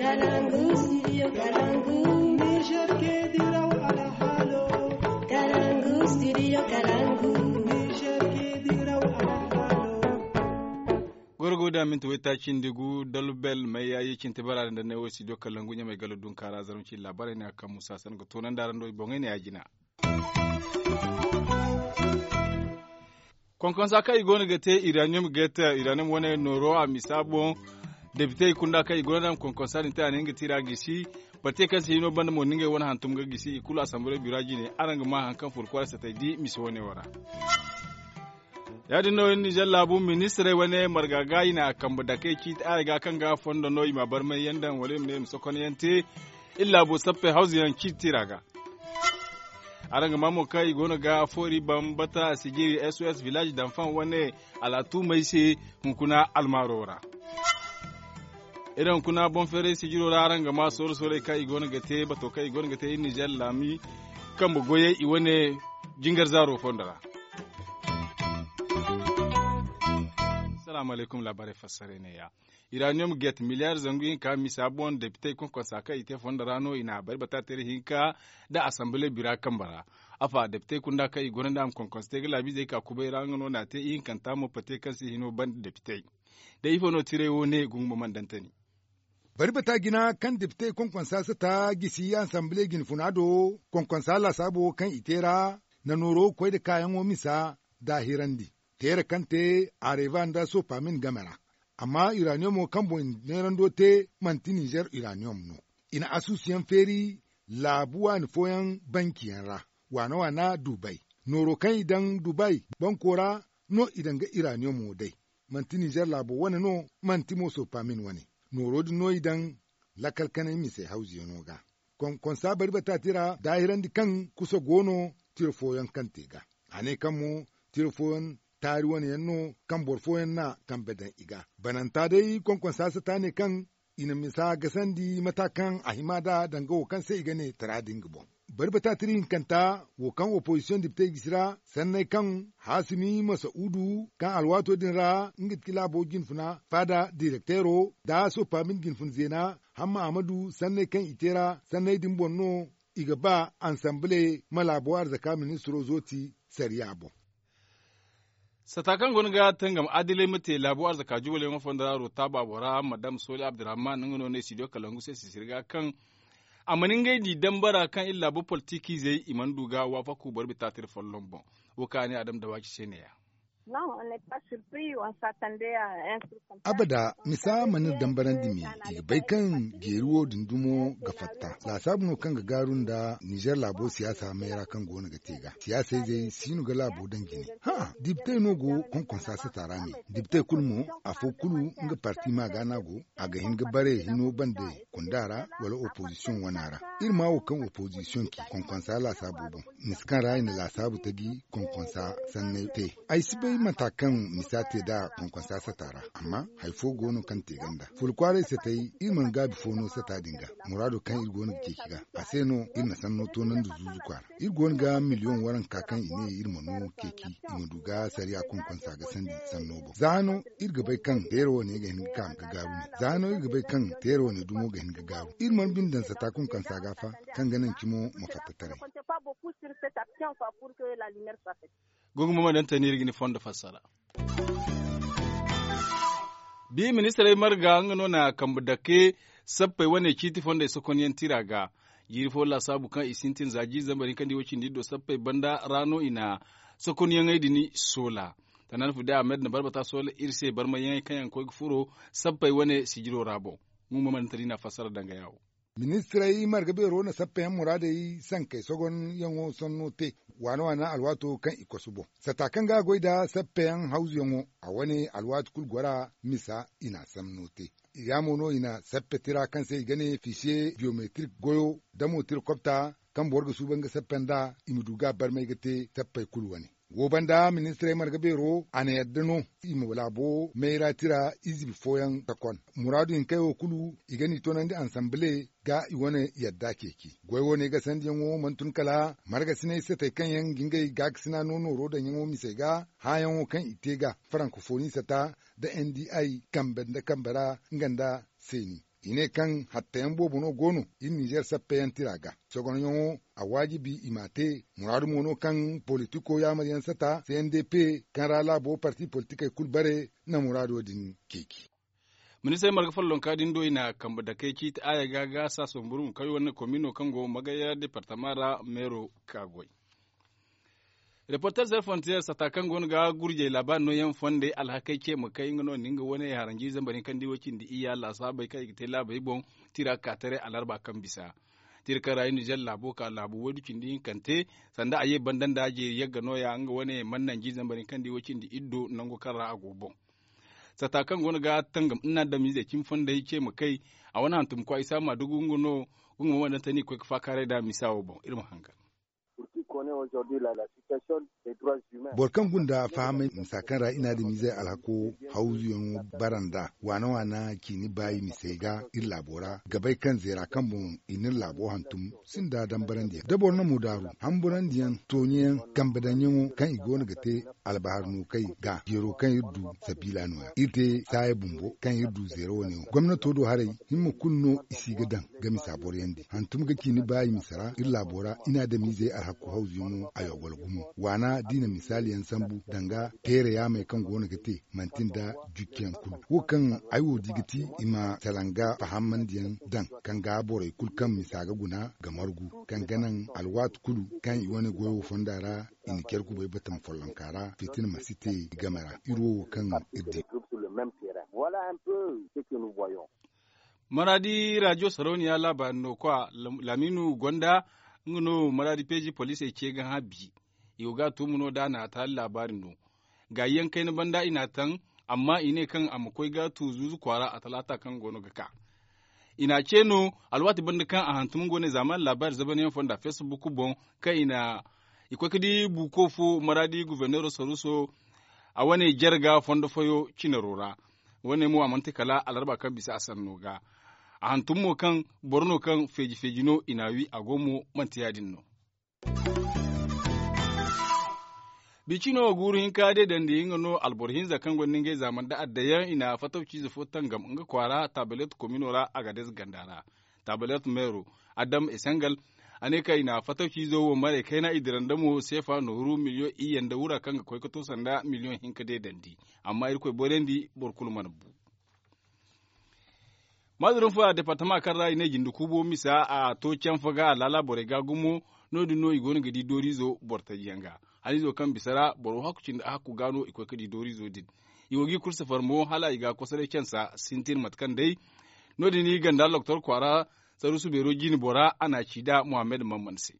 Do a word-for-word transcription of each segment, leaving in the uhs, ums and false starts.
Kalangu, studio Kalangu. Niger ke diraw alhalo. Kalangu, studio Kalangu. Niger ke diraw alhalo. Gorgo da minti wayta cindi gu dalbel mai yayi cinti bara da ne wo studio Kalangu ɲamai galo dun kara zarunci labarai ne akan musa san ga tonan da rando boŋai ne ya jina. Konkonsa kaŋ i goono ga te uranium gate uranium wane nooro a misa boŋ. Depitey kunda kaŋ i goono naŋ konkonsa din te a ne nga tira gisi. Bate kaŋ se hino banda mo ningay wane hantum ga gisi i kulu asamble bira jine araŋ ga ma haŋ kaŋ furkwara satay di misa wane wara. Ya- din no nizer laabu ministirey wane marga ga i na a kambe dakey ciiti araŋ ga kaŋ ga fondo no i ma barmay yaŋ daŋ wala i ma ne i ma sokonyaŋ te. Iri laabo sappey hawzu yaŋ ciiti tira ga. Araŋ ga maa mo kaŋ i goono ga foori bambata sijiri sos village danfan wane alaatumey se hunkuna almaaro ra. Iri hunkuna boŋ-feeray sijiro ra araŋ ga maa sooro-soorey kaŋ i goono ga te bato kaŋ i goono ga te iri nizer laami kambe goyey i wane jingar zaaro fondo ra. Salaamu alaykum laabaarey fassaray ne ya. Uranium gate miliyar zangu hinka misa boŋ depitey konkonsa kaŋ i te fondo ra no i na a bari bata teeri hinka nda asamble bira kambe ra. Afa depitey kunda kaŋ i gonda nda a ma konkonsa te ga laabiizey ka kubay ra nga no na a te ihinkanta mo pate kaŋ se hino banda depitey. Da ifo no tiray wo ne gungu ma mandantani. Bari bata jina kaŋ depitey konkonsa sata gisi asamble jinfuna do konkonsa laasaabo kaŋ i te ra na nooro koy nda kaayaŋo misa daahirandi. Teera kaŋ te areva nda sopamin game ra. Amma uraniyomo kaŋ boŋ neerando te manti nizer uraniyomo no. I na asuusuyaŋ feeri laabu waani fooyaŋ bankiyaŋ ra waana waana dubay. Nooro kaŋ i daŋ dubay banko ra no i daŋ ga uraniyomo day. Manti nizer laabo wane no manti mo sopamin wane. Nooro din no i daŋ lakal kanay mise hawzuyaŋo ga. Konkonsa bari bata tira daahirandi kaŋ kusa go no tira fooyaŋ kaŋ te ga. A ne kaŋ mo tira fooyaŋ taari wane yaŋ no kaŋ boro fooyaŋ na kambe daŋ i ga. Bananta day konkonsa sata ne kaŋ i na misa gasandi mata kaŋ a hima nd'a danga wo kaŋ se i ga ne tara din ga boŋ. Bari bata tira hinkanta wo kaŋ opozisiyoŋ depitey gisi ra sanney kaŋ haasimi masa'udu kaŋ alwaato din ra nga ti laabo jinfuna faada direkteero nda sopamin jinfuna zeena hamma ahmadu sanney kaŋ i te ra sanney din boŋ no i ga ba ansamble ma laabo arzaka ministiro zooti sariya boŋ. Sata kaŋ go no ga tangam adilay ma te laabo arzaka juwalyaŋo fondo ra rotaaba bora madam soli abdurrahman nga no ne studio kalangu se sisiri ga kaŋ a mana ngey di dambara kaŋ iri laabo politikiizey i mana du ga waafaku boro bitaatiri folloŋ boŋ. Wo kaŋ a ne adam dawaaci se neeya. Abada misa mana iri dambarandi me i ga bay kaŋ jeeri wo din dumo ga fatta laasaabu no kaŋ ga gaaru nda nizer laabo siyaasa mayra kaŋ go no ga te ga siyaasayzey si no ga laabo daŋ jine. Hã dibitey no go konkonsa sata ra me dibitey kulu mo afo kulu nga parti ma ga no a go a ga hin ga bare hino bande kunda ra wala opozisiyoŋ wana ra. Iri ma wo kaŋ opozisiyoŋ ci konkonsa laasaabo boŋ misa kaŋ ra i na laasaabu taji konkonsa sanney te. Ay si bay mata kaŋ misa te nd'a konkonsa sata ra amma hari fo go no kaŋ te ganda fula kwaaray satay iri mana gaabi fo no sata din ga muraado kaŋ iri go no ga ceeci ga a se no iri na sanno toonandi zuuzu kwaara. Iri go no ga miliyoŋ waranka kaŋ i ne iri ma no ceeci i ma du ga sariya konkonsa ga sandi sanno boŋ za no iri ga bay kaŋ teera wane ga hin ga ka ga gaaru ne za no iri ga bay kaŋ teera wane dumo ga hin ga gaaru iri mana bine daŋ sata konkonsa ga fa kaŋ ga naŋ cimo ma fatta taray. Gogo mo ma daŋ tani iri ga ni fondo fassara. Bi ministirey marga nga no na kambe dake sappey wane ciiti fondey sokonyaŋ tira ga. Jiiri fo laasaabu kaŋ i sintin za jiiri zambar hinka nda i wo cindi iri do sappey banda ra no i na sokonyaŋey din soola. Tanaan fu day ahmed na barbata soola iri se barmayyaŋey kaŋ yaŋ ga koy ga furo sappey wane sijiro ra boŋ. Nga mo ma daŋ tani na fassara danga yaawo. Ministirey marga beero na sappeyaŋ muraadey sankey sogonyaŋo sanno te waana waana alwaato kaŋ i kosu boŋ sata kaŋ ga a goy nda sappeyaŋ hawzuyaŋo a wane alwaati kulu gora misa i na a sanno te. Yaamo no i na sappe tira kaŋ se i ga ne fisiye biyometrik goyo damo tira kopta kaŋ boro ga suuban ga sappe nd'a i ma du ga a barmay ga te sappey kulu wane. Wo banda ministirey marga beero a na yadda no i ma laabo mayra tira izibi fooyaŋ takon muraadu hinkey wo kulu i ga n'i toonandi ansanbile ga i wane yadda ceeci goy wane gasandiyaŋo mana tun kala margasinay satey kaŋ yaŋ ga ngey gaakasina no nooro daŋyaŋo misey ga hããyaŋo kaŋ i te ga farankofoni sata nda ndi kambe nda kambe ra nga nda seeni. I ne kaŋ hattayaŋ boobo no go no iri ninzeer sappeyaŋ tira ga. Sogonyaŋo a waajibi i m'a te. Muraadu mo no kaŋ politiko yaamaryaŋ sata c n d p kaŋ ra laabo parti politikey kulu bare na muraado din ceeci. Ministir marga follonka din do i na kambe dakey ciiti aaya ga ga saasamburu ma kay wane komino kaŋ go magaya departama ra meero ka goy. Reporter zay frontier sata kaŋ go no ga gurjey laabaari nooyaŋ fondey alhakey ce ma kay nga no ni nga wane haranji zambar hinka nda i way cindi iyya laasaabey kaŋ i ga te laabey boŋ. Tira ga ka taray alarba kaŋ bisa tira kaŋ ra i nizer laabo ka laabu waydu cindi hinkante sanda a ye banda nda jeeri yagga nooya nga wane mana nanji zambar hinka nda i way cindi iddo nango kaŋ ra a go boŋ. Sata kaŋ go no ga tangam ina adamizey cimi fondey ce ma kay a wane hantum kwa isa ma dugu nga no. Nga mo mana daŋ tani koy ga faakaaray nd'a misa wo boŋ iri ma hangan. Boro kaŋ gunda fahamay misa kaŋ ra i na adamizey alhako hawzuyaŋo bara nd'a waana waana ciini baayi misey ga iri laabo ra ga bay kaŋ zeera kaŋ boŋ i n'iri laabo hantum sinda dambarandiyaŋ da boro na mo daaru hamburandiyaŋ tooɲeyaŋ kambe daŋyaŋo kaŋ i go no ga te albahar no kay ga jeero kaŋ iri du sabiila no- ya iri te saaya bumbo kaŋ iri du zeero wane wo gomnato do haray himma kulu no i si ga daŋ ga misa boroyandi hantum ga ciini baayi misa ra iri laabo ra i na adamizey alhakku hawzuyaŋo a yogol gumo waana da i na misaaliyaŋ sambu danga teere yaamey kaŋ go no ga te manti nda jukkiyaŋ kulu wo kaŋ ay wo di ga ti i ma salanga fahamandiyaŋ daŋ kaŋ ga borey kulu kaŋ misa ga guna ga margu kaŋ ga naŋ alwaati kulu kaŋ i wane goyo fonda ra i na care kubay batama follonka ra fitina ma si te i game ra iri wo wo kaŋ iri di. Maraadi rajo sarauniya laabaari no kwa laamiinu gonda nga no maraadi peeji poliisey ce ga hã bi. I go ga a tuumu no da a na a taali laabaari no gaayi yaŋ kayna banda i n'a taŋ amma i ne kaŋ a ma koy ga a tu zuuzu kwaara a talaata kaŋ go no ga ka. I n'a ce no alwaati banda kaŋ a hantum nga wane zaamaani laabaari zabanyaŋ fonda facebook boŋ kaŋ i na i koy ga di buuko fo maraadi goforneero saruuso a wane jare ga fondo fooyo cinaro ra. Wane mo a mana te kala alarba kaŋ bisa a sanno ga a hantum mo kaŋ boro no kaŋ feeji feeji no i n'a wi a go mo manti ya- din no. Bicino guuru hinka deedandi nga no alboro hinza kaŋ gonda ngey zaamani da addayaŋ i na fatawciize fo tangam nga kwaara tabalet komino ra agadez ganda ra. Tabalet meero adam esengal a ne kaŋ i na fatawciizo wo maray kayna i dira nda mo seefa nooru miliyoŋ iyye nda wura kaŋ ga koy ga to sanda miliyoŋ hinka deedandi. Amma irkoy borandi boro kulu mana bu. Maazurun fo a departama kaŋ ra i ne jinde kuubo misa a to canfa ga a laala borey ga gumo. No- din no i go no ga di dooriizo boro taji yaŋ ga haniizo kaŋ bisa ra boro hakku cindi a hakku ga no i koy ga di dooriizo din. I go ga i kulu safar mo hala i ga kosoray cansa sintin mate kaŋ day. No- din i ganda loktor kwaara saruusu beero jine bora a n'a ci nd'a muhammad mamman se.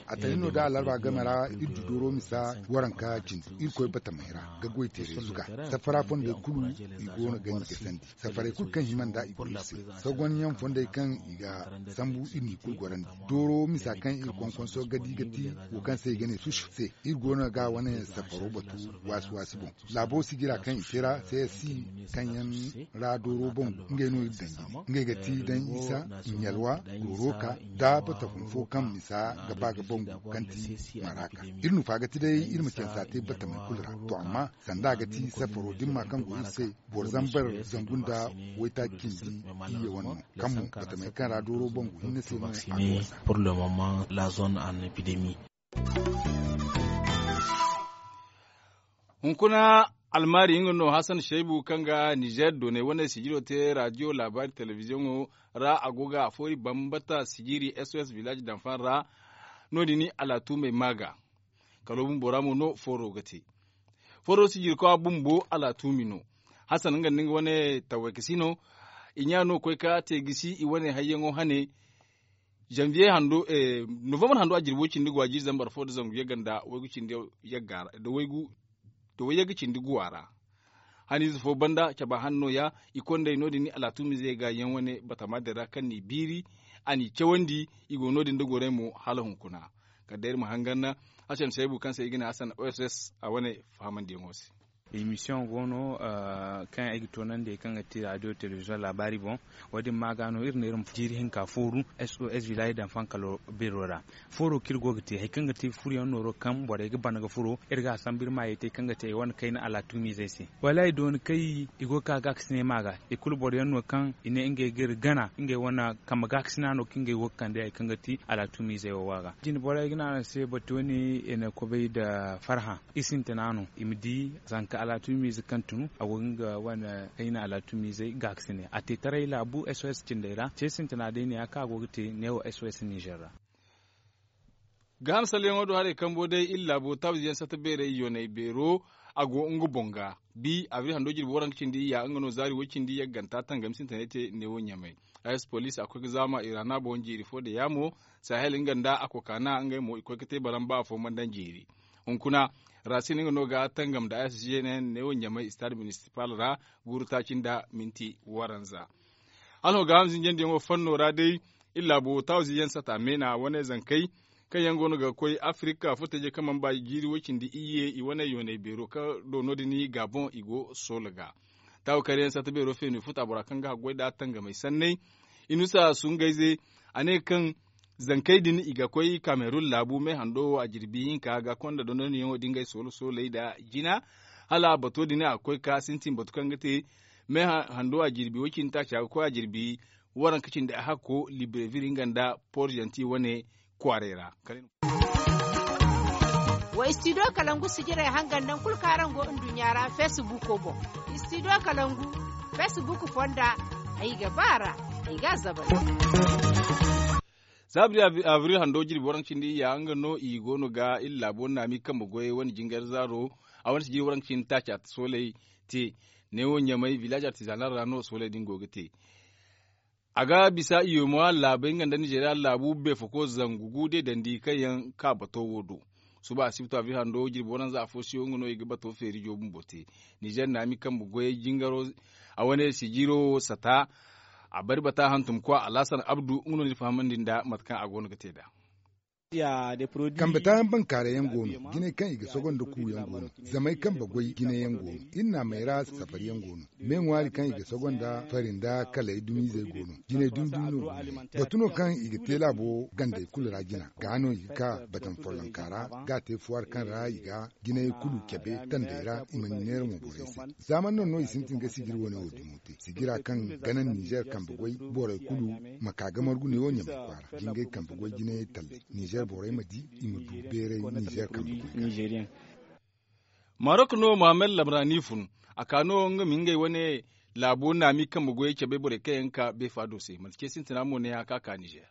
A tali no da alarba game ra iri du dooro misa waranka cindi irkoy batamey ra ga goy teeray zuga. Safara fondey kulu i go no ganji ga sandi safaray kulu kaŋ hima nd'a i go iri se. Sogonyaŋ fondey kaŋ i ga sambu iri n'i kulu gorandi dooro misa kaŋ iri konkonso ga di ga ti wo kaŋ se i ga ne sush se iri go no ga wane safaro batu waasi waasi boŋ. Laabo sijira kaŋ i te ra c s i kaŋ yaŋ ra dooro boŋ ngey no iri daŋ jine ngey ga ti daŋ isa, ɲalwa, rooroka, da batafun fo kaŋ misa ga ba ga bangu kaŋ ti maraka. Iri nufa ga ti day iri ma cansa te batamey kulu ra. To amma sanda a ga ti safaro dimma kaŋ go iri se boro zambar zangu nda waytaaci cindi iyye wane no kaŋ mo batamey kaŋ ra dooro bangu hinne se no a ga wasa. Hunkuna almaari nga no hasan shaybu kaŋ ga nizer doonay wane sijiro te raadiyo laabaari telebiziyoŋo ra a go ga a foori bambata sijiri s o s village danfan ra. No- din alaatumey ma ga kalo bumbo ra mo no fooro ga te. Fooro sijirkowa bumbo alaatumi no. Hasan nga nda nga wane taway kasi no. I ɲa no koy ka te gisi i wane hayyaŋo hane. Janvier hando novembre hando a jirbo cindi go a jiri zambar fo da zangu yagga nda waygu cindi yagga ra da waygu da wayyaga cindi guwa ra. Haniize fo banda caba hanno ya i kondey no- din ni alaatumize ga yaŋ wane batama din ra kaŋ n'i biiri a n'i cawandi. I go no- din da gorey mo hala hunkuna. Kala day iri ma hangan na hasan saybu kaŋ se i ga ne hasan oss a wane fahamandiyaŋo se. Emisiyoŋ go no kaŋ ay ga toonandi hari kaŋ ga ti radio telebiziyoŋ laabaari boŋ. Wo- din ma ga no iri ne iri ma jiiri hinka fooru s o s village daŋ fankalo beero ra. Fooro kaŋ iri go ga te hari kaŋ ga ti furo yaŋ nooro kaŋ borey ga ban ga furo iri ga a sambu iri maayey te kaŋ ga ti ay wane kayna alaatumiizey se. Wallaahi dooni kay i go ga ka gaakasinay ma ga i kulu boro yaŋ no kaŋ i ne ngey ga iri gana ngey wane kambe gaakasina no kaŋ ngey go ga kande hari kaŋ ga ti alaatumiizey wo wa ga. Jine borey ga ne araŋ se batuwani i na kobay nda farhã i sintina no i ma di zanka alaatumiize kaŋ tun a go ga nga wane kayna alaatumiizey gaakasinay a te taray laabu s o s cindey ra ce sintina day ne ya kaŋ a go ga te neewo s o s nizer ra. Gaaham salleyaŋo do haray kambo day iri laabo taabzi yaŋ satta beerey yoonay beero a go nga boŋ ga. Bi abril hando jirbi waranka cindi ya nga no zaari way cindi yagganta tangami sintinay te neewo ɲamay. Ayas poliis a koy ga zaama iraana boŋ jiiri fo da yaamo sahel nga nda a kokaana ngey mo i koy ga te baramba afo mana daŋ jiiri. Hunkuna rasin nga no ga tangam nda ayas jeenen neewo ɲamay istaad minisipal ra guuru taaci nda minti waranza. Hala no gaaham zinjandiyaŋo fanno ra day iri laabo taawuzi yaŋ sata meena wane zankey kaŋ yaŋ go no ga koy afirika furtajey kaŋ mana ba jiiri way cindi iyye i wane yoonay beero kaŋ do no- din gabon i go soola ga. Taawu kayra yaŋ sata beero feenu i futa bora kaŋ ga haggoy nd'a tangamey sanney. Inusa sungayze a ne kaŋ zankey din i ga koy kamerun laabu me hando wo a jirbi hinka ga konda dondonyaŋo da ngey soola sooley nda jina hala bato din a ga koy ga sintin batu kaŋ ga te me hando a jirbi way cindi taaci a ga koy a jirbi waranka cindi a hakko librevir nga nda porjanti wane kwaarey ra. Wa istidiyo kalangu sijirey hangan nangu kulu kaŋ araŋ go nduɲɲa ra feesibuuko boŋ. Istidiyo kalangu feesibuuko fonda ay ga ba a ra ay ga a zabari. Za abril hando jirbi waranka cindi iyya nga no i go no ga iri laabo naami kambe goyey wane jingar zaaro a wane sijiri waranka cindi taaca sooley te. Neewo ɲamay village artizanal ra no sooley din go ga te. A ga bisa i yo ma laabey nga nda nizeriya laabu beefoko zangu gu de dandi kaŋ yaŋ ka bato wo do. Suba asibto abril hando jirbi waranza afo siyo nga no i ga bato feeri joobu bumbo te. Nizer naami kambe goyey jingaro a wane sijiro sata. A bari bata hantumkwa alhasan abdu nga no ni fahamandi nda mate kaŋ a go no ga te nd'a. Kambe taayaŋ bankaaray yaŋ go no jinay kaŋ i ga sogo nda ku yaŋ go no. Zamey kambe goy jinay yaŋ go no. Iri naamey ra safari yaŋ go no. Me ŋwaari kaŋ i ga sogo nda fari nda kalay dumiizey go no. Jinay dumi dumi no go no. Batu no kaŋ i ga te laabo gandey kulu ra jina ga no i ga ka batam follonka ra ga a te fuwar kaŋ ra i ga jinay kulu cabe tandey ra i mana neera mo borey se. Zaaman no no i sintin ga sijiri wane wo dumo te sijira kaŋ gana nizer kambe goy borey kulu ma ka ga margu ne wo ɲamay kwaara jingay kambe goy jinayey talley nizer borey ma di i ma du beeray nizer kambe goy ga. Marok no mohammed lamrani fun a ka no nga ma ngey wane laabo naami kambe goyey cabe borey kaŋ yaŋ ga ka beefa do se manti ce sintina mo ne ya ka ka nizer.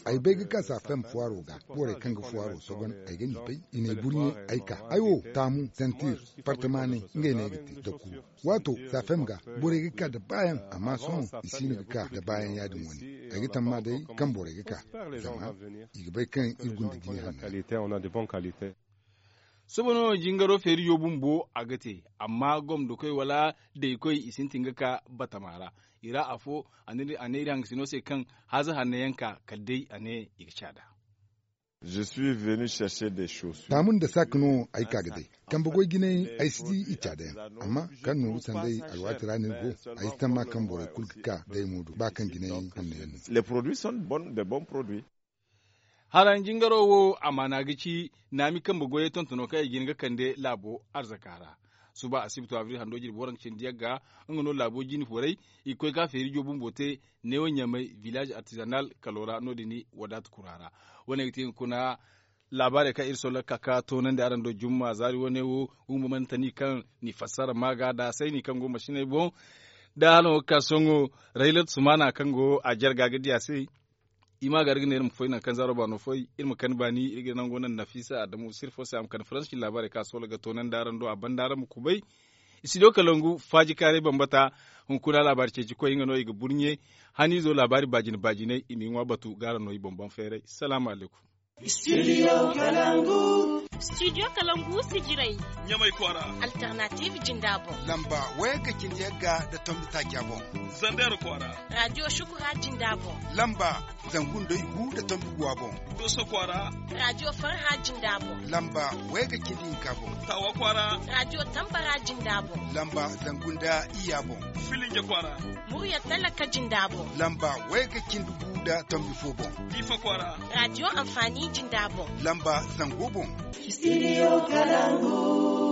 Ay bay ga ka safem fuwaro ga borey kaŋ ga fuwaro sogon ay ga ni bay i n'ay burɲe ay ka ay wo taamu santir partamaney ngey no ay ga te da kuru. Waato safem ga borey ga ka da baayaŋ amma sohõ i si no ga ka da baayaŋ ya- din wane. Ay ga tamma day kaŋ borey ga ka zama i ga bay kaŋ iri gunda jine hanna. Sohõ no jingaro feerijo bumbo a ga te amma gomdokoy wala daykoy i sintin ga ka batama ra. I ra afo a ne iri hangasino se kaŋ haaza hanno yaŋ ka kala day a ne i ga caada. Taamu nda saaka no ay ka ga day kambe goy jinay ay si di i caada yaŋ. Amma kaŋ nooru sanday alwaati ra no iri go ay si tamma kaŋ borey kulu ga ka day mo do ba kaŋ jinay hanno yaŋ no. Haraŋ jingaro wo amaana ga ci naami kambe goyey tontono kaŋ i ga hin ga kande laabo arzaka ra. Suba asibto abril hando jirbi waranka cindi yagga nga no laabo jine forey i ga koy ga feerijo bumbo te neewo ɲamay village artisanal kalo ra no- din wadaata kura ra. Wane ga te hunkuna laabaarey kaŋ iri solla ga ka ga toonandi araŋ do jumma zaari wane wo. Humbamantani kaŋ ni fassara ma ga da sayni kaŋ go masiney boŋ da hala no ga ka sohõ raylat sumana kaŋ go a jarga ga di a se. I ma gar ga ne iri ma foy nangu kaŋ zaaro baano foy iri ma kani baani iri ga nango naŋ nafisa adamu sirfo se a ma kani faransi cine laabaarey kaŋ a soola ga toonandi araŋ do a banda araŋ ma kubay. Studio kalangu faaji kaaray bambata hunkuna laabaari ceeci koy nga no i ga burɲe haniizo laabaari baajine baajiney i m'i ŋwa batu ga araŋ no i boŋ boŋ feeray. Salaamu alaykum. Studio kalangu. Studio Kalangu Sijirai. Ɲamay kwaara. Alternative Jindabo. Lamba wayga cindi yagga da tombi taaca boŋ. Zander kwaara. Radio Shukura Jindabo. Lamba zangu nda igu da tombi guwa boŋ. Doso kwaara. Radio Farha Jindabo. Lamba wayga cindi hinka boŋ. Tawa kwaara. Radio Tambara Jindabo. Lamba zangu nda iya boŋ. Filinge kwaara. Murya Talaka Jindabo. Lamba wayga cindi gu da tombi fo boŋ. Difa kwaara. Radio Amfani Jindabo. Lamba zango boŋ. Studio Kalangu.